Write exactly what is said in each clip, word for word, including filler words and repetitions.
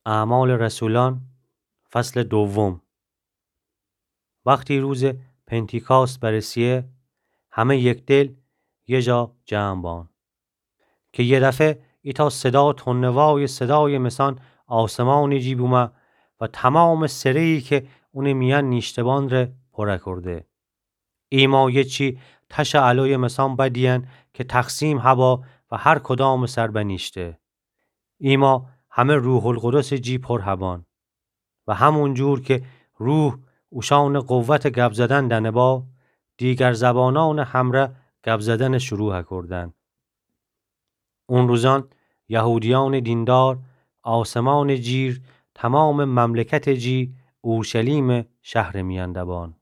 اعمال رسولان، فصل دوم. وختی روزٚ پنتیکاست برسیه، همه یکدل یه جا جمع بان. که یه دفعه ایتأ صدا تندوای صدایٚ مثان آسمانٚ جی بومه و تومامٚ سره‌یی که اونٚ میأن نیشته‌بان ره پوره کرده. ایما یه چی تشٚ الویٚ مثان بدیئن که تقسیم هبا و هر کدامٚ سر بنیشته. ایما همه روح‌القدسٚ جی پر هبان. و همون جور که روح اوشأنٚ قوتٚ گب زدن دنه با، دیگر زبانأنٚ همره گب زدن شروع کردن. اون روزان یهودیأنٚ دیندار آسمانٚ جیر تومامٚ مملکتٚ جی اورشلیمٚ شهرٚ میأن دبان.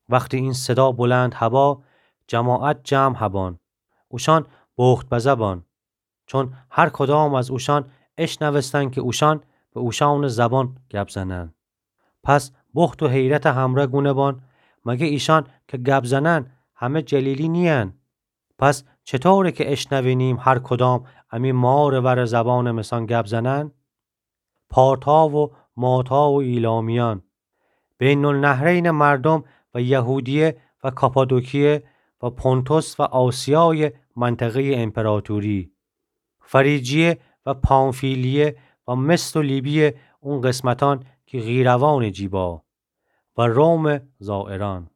وختی این صدا بلند هبا، جماعت جمع هبان. اوشأن بخت بزه بان. چون هر کدام از اوشأن اشنوستن که اوشأن به اوشأنٚ زبان گب زنن. پس بخت و حیرتٚ همره گونه بان: مگه ایشأن که گب زنن همه جلیلی نیین؟ پس چطوره که اشنوینیم هر کدام امی مارٚ ورٚ زبانٚ مثان گب زنن؟ پارتا و ماتا و ایلامیأن، بین‌النهرینٚ مردم و یهودیه و کاپادوکیه و پونتوس و آسیایٚ منطقه‌یٚ امپراتوری، فریجیه و پامفیلیه و مصر و لیبیه، اون قسمتأن که قیروانٚ جی با، و رومٚ زائرأن،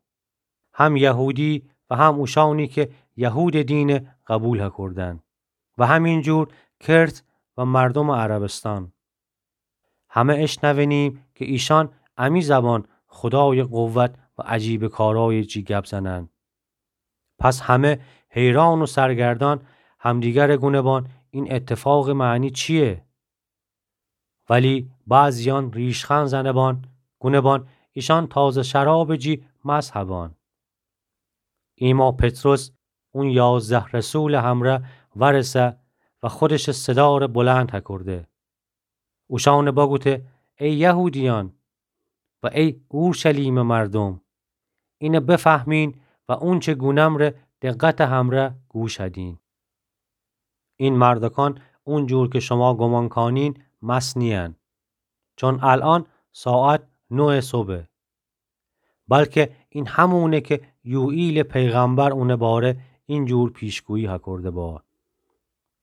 هم یهودی و هم اوشأنی که یهودٚ دینٚ قبول هکردن، و همین جور کرت و مردمٚ عربستأن. همه اشنوینیم که ایشأن امی زبان خدایٚ قوت و عجیبٚ کارایٚ جی گب زنن. پس همه حیران و سرگردان همدیگره گونه بان: این اتفاقٚ معنی چییه؟ ولی بعضیأن ریشخند زنه بان، گونه بان: ایشأن تازه شرابٚ جی مست هبان. ایما پطرس اون یازده رسولٚ همره ورسه و خودشٚ صداره بلند هکرده. اوشأنه بگوته: ای یهودیأن و ای اورشلیمٚ مردم، اینه بفهمین و اونچه گونم ره دقتٚ همره گوش هدین. این مردکان اونجور که شما گمان کانین مست نیین، چون الأن ساعت نوه صبحه. بلکه این همونه که یوئیلٚ پیغمبر اونٚ باره اینجور پیشگویی هکرده با: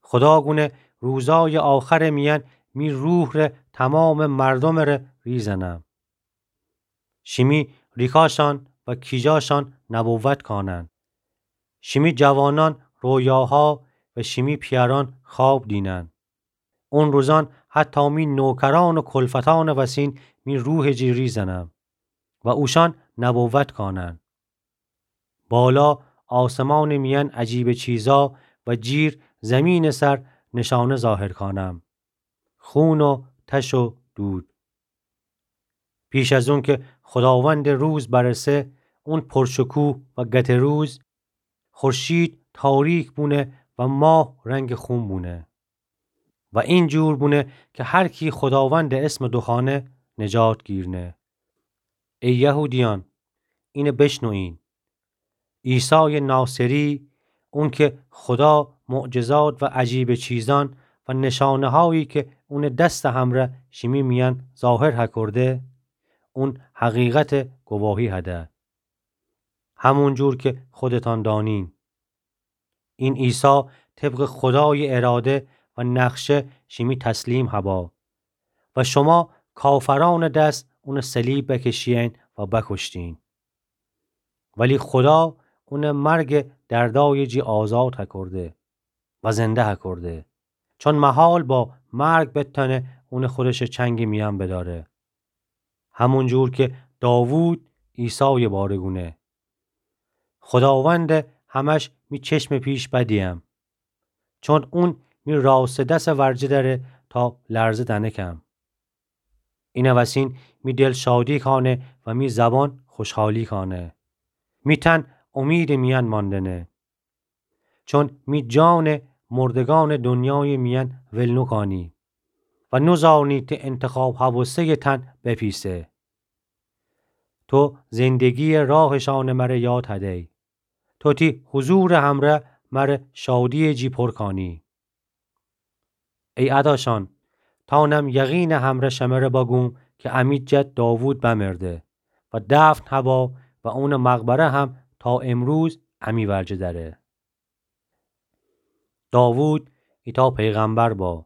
خدا گونه روزایٚ آخرٚ میأن می روح ره تومامٚ مردمٚ ره ریزنم. شیمی ریکاشأن و کیجاشأن نبوت کانن. شیمی جوانأن رویاها و شیمی پیأرأن خواب دینن. اون روزأن حتی می نوکرأن و کلفتأنٚ وسین می روحٚ جی ریزنم و اوشأن نبوت کانن. بالا آسمانٚ میأن عجیبٚ چیزا و جیر زیمینٚ سر نشانه ظاهر کانم: خون و تش و دود. پیش از اون که خداوندٚ روز برسه، اون پرشکوه و گته روز، خورشید تاریک بونه و ماه رنگٚ خون بونه. و اینجور بونه که هر کی خداوندٚ اسمٚ دوخوأنه، نجات گیرنه. ای یهودیأن، اینه بشنوین. عیسایٚ ناصری، اون که خدا معجزات و عجیبٚ چیزأن و نشانه‌هایی که اونٚ دستٚ همره شیمی میأن ظاهر هکرده، اون حقیقتٚ گواهی هده، همونجور که خودتأن دانین. این عیسی طبقٚ خدایٚ اراده و نقشه شیمی تسلیم هبا و شما کافرأنٚ دس اونٚ صلیب بکشیین و بکشتین. ولی خدا اونٚ مرگٚ دردایٚ جی آزاد هکرده و زنده هکرده، چون محال با مرگ بتأنه اونٚ خودشٚ چنگٚ میأن بداره. همونجور که داوود عیسایٚ باره گونه: خداوندٚ همش می چشمٚ پیش بدیم، چون اون می راستٚ دسٚ ورجه دأره تا لرزه دنکم. اینٚ وسین می دل شادی کانه و می زبان خوشحالی کانه. می تن امیدٚ میأن ماندنه. چون می جانٚ مردگانٚ دنیایٚ میأن ول نوکانی و نوزانی تی انتخاب هوسه‌یٚ تن بپیسه. تو زندگییٚ راهشأنٚ مره یاد هدی. تو تی حضورٚ همره مره شادییٚ جی پر کانی. ای اداشأن، تانم یقینٚ همرأ شمره بگوم کی امی جد داوود بمرده و دفن هبا و اونٚ مقبره هم تا امروز امی ورجه دأره. داوود ایتأ پیغمبر با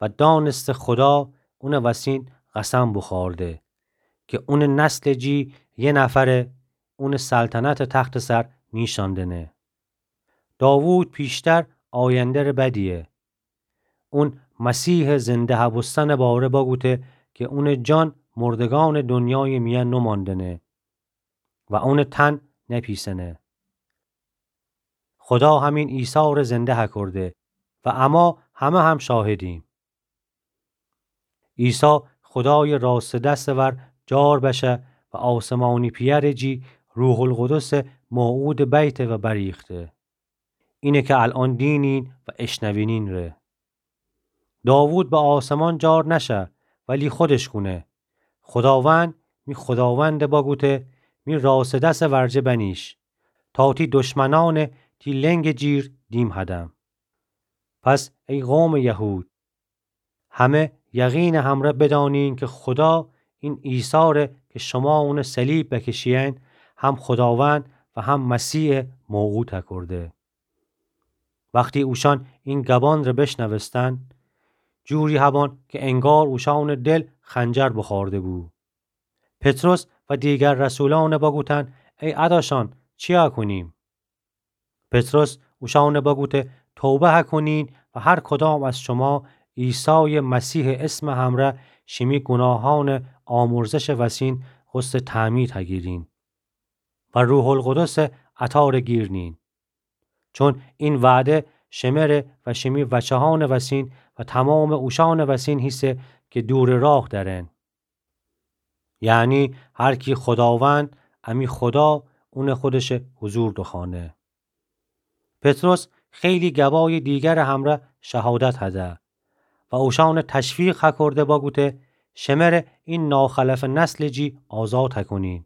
و دأنسته خودا اونٚ وسین قسم بوخورده کی اونٚ نسلٚ جی یه نفر اونٚ سلطنتٚ تختٚ سر نیشأندنه. داوود پیشتر آینده‌ره بدیه. اون مسیحٚ زنده هبوستنٚ باره بگوته کی اونٚ جان مردگأنٚ دونیایٚ میأن نوماندنه و اونٚ تن نپیسنه. خودا همین عیسی‌ره زنده هکورده و اما همه هم شاهدیم. عیسی خودایٚ راستٚ دستٚ ور جار بشه و آسمانی پیأرٚ جی روح‌القدسٚ موعودٚ بیته و بریخته. اینه کی الأن دینین و اشنوینین ره. داوود به آسمان جار نشه، ولی خودش گونه: خوداوند، می خوداوندٚ بگوته: می راستٚ دسٚ ورجه بنیش، تا تی دشمنأنٚ تی لنگٚ جیر دیم هدم. پس ای قومٚ یهود، همه یقینٚ همرأ بدأنین کی خودا این عیسی‌ره کی شما اونٚ صلیب بکشیین، هم خوداوند و هم مسیحٚ موعود هکورده. وختی اوشأن این گبانٚ ره بشنوستن، جوری هبان کی انگار اوشأنٚ دل خنجر بوخورده بو. پطرس و دیگر رسولأن بگوتن: ای اداشأن، چیا کونیم؟ پطرس اوشأن بگوته: توبه هکونین و هر کدام از شما عیسایٚ مسیحٚ اسمٚ همرأ شیمی گوناهأنٚ آمرزشٚ وسین غسلٚ تعمید هگیرین و روح‌القدسٚ عطارٚ گیر نین. چون این وعده شمره و شیمی وچهأنٚ وسین و تمامٚ اوشأنٚ وسین هیسه کی دورٚ راه درن. یعنی هر کی خوداوند، امی خودا، اونٚ خودشٚ حضور دوخوأنه. پطرس خیلی گبایٚ دیگرٚ همرأ شهادت هده و اوشأن تشویق هکورده بگوته: شمره این ناخلفٚ نسلٚ جی آزاد هکونین.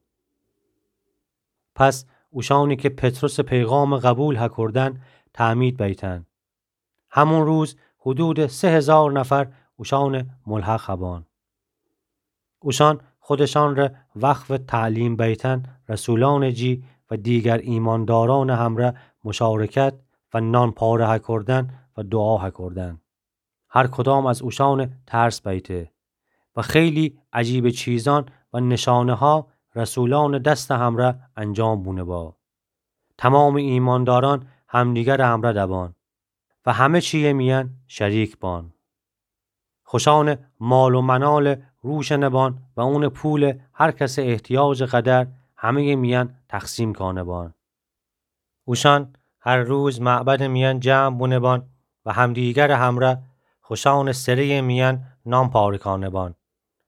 پس اوشأنی کی پطرسٚ پیغام قبول هکوردن، تعمید بیتن. همون روز حدودٚ سه هزار نفر اوشأن ملحق هبان. اوشأن خودشأن ره وقفٚ تعلیم بیتن رسولأنٚ جی و دیگر ایماندارأنٚ همرأ مشارکت و نان پاره هکوردن و دوعا هکوردن. هر کدام از اوشأن ترس بیته و خیلی عجیبٚ چیزأن و نشانه‌ها رسولأنٚ دستٚ همرأ انجام بونه با. تمامٚ ایماندارأن همدیگرٚ همرأ دبان و همه چییٚ میأن شریک بان. خوشأنٚ مال و منال روشنه بان و اونٚ پولٚ هر کسٚ احتیاجٚ قدر همه‌یٚ میأن تقسیم کانه بان. اوشأن هر روز معبدٚ میأن جمع بونه بان و همدیگرٚ همرأ خوشأنٚ سره‌یٚ میأن نان پاره کانه بان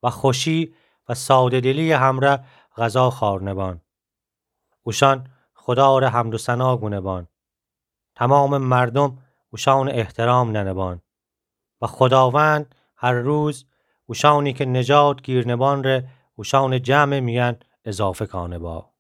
و خوشی و ساده‌دلییٚ همرأ غذا خأرنه بان. اوشأن خودا ره حمد و ثنا گونه بان. تمامٚ مردوم اوشأن احترام ننه بان و خوداوند هر روز اوشأنی کی نجات گیرنه بان ره اوشأنٚ جمعٚ میأن اضافه کانه با.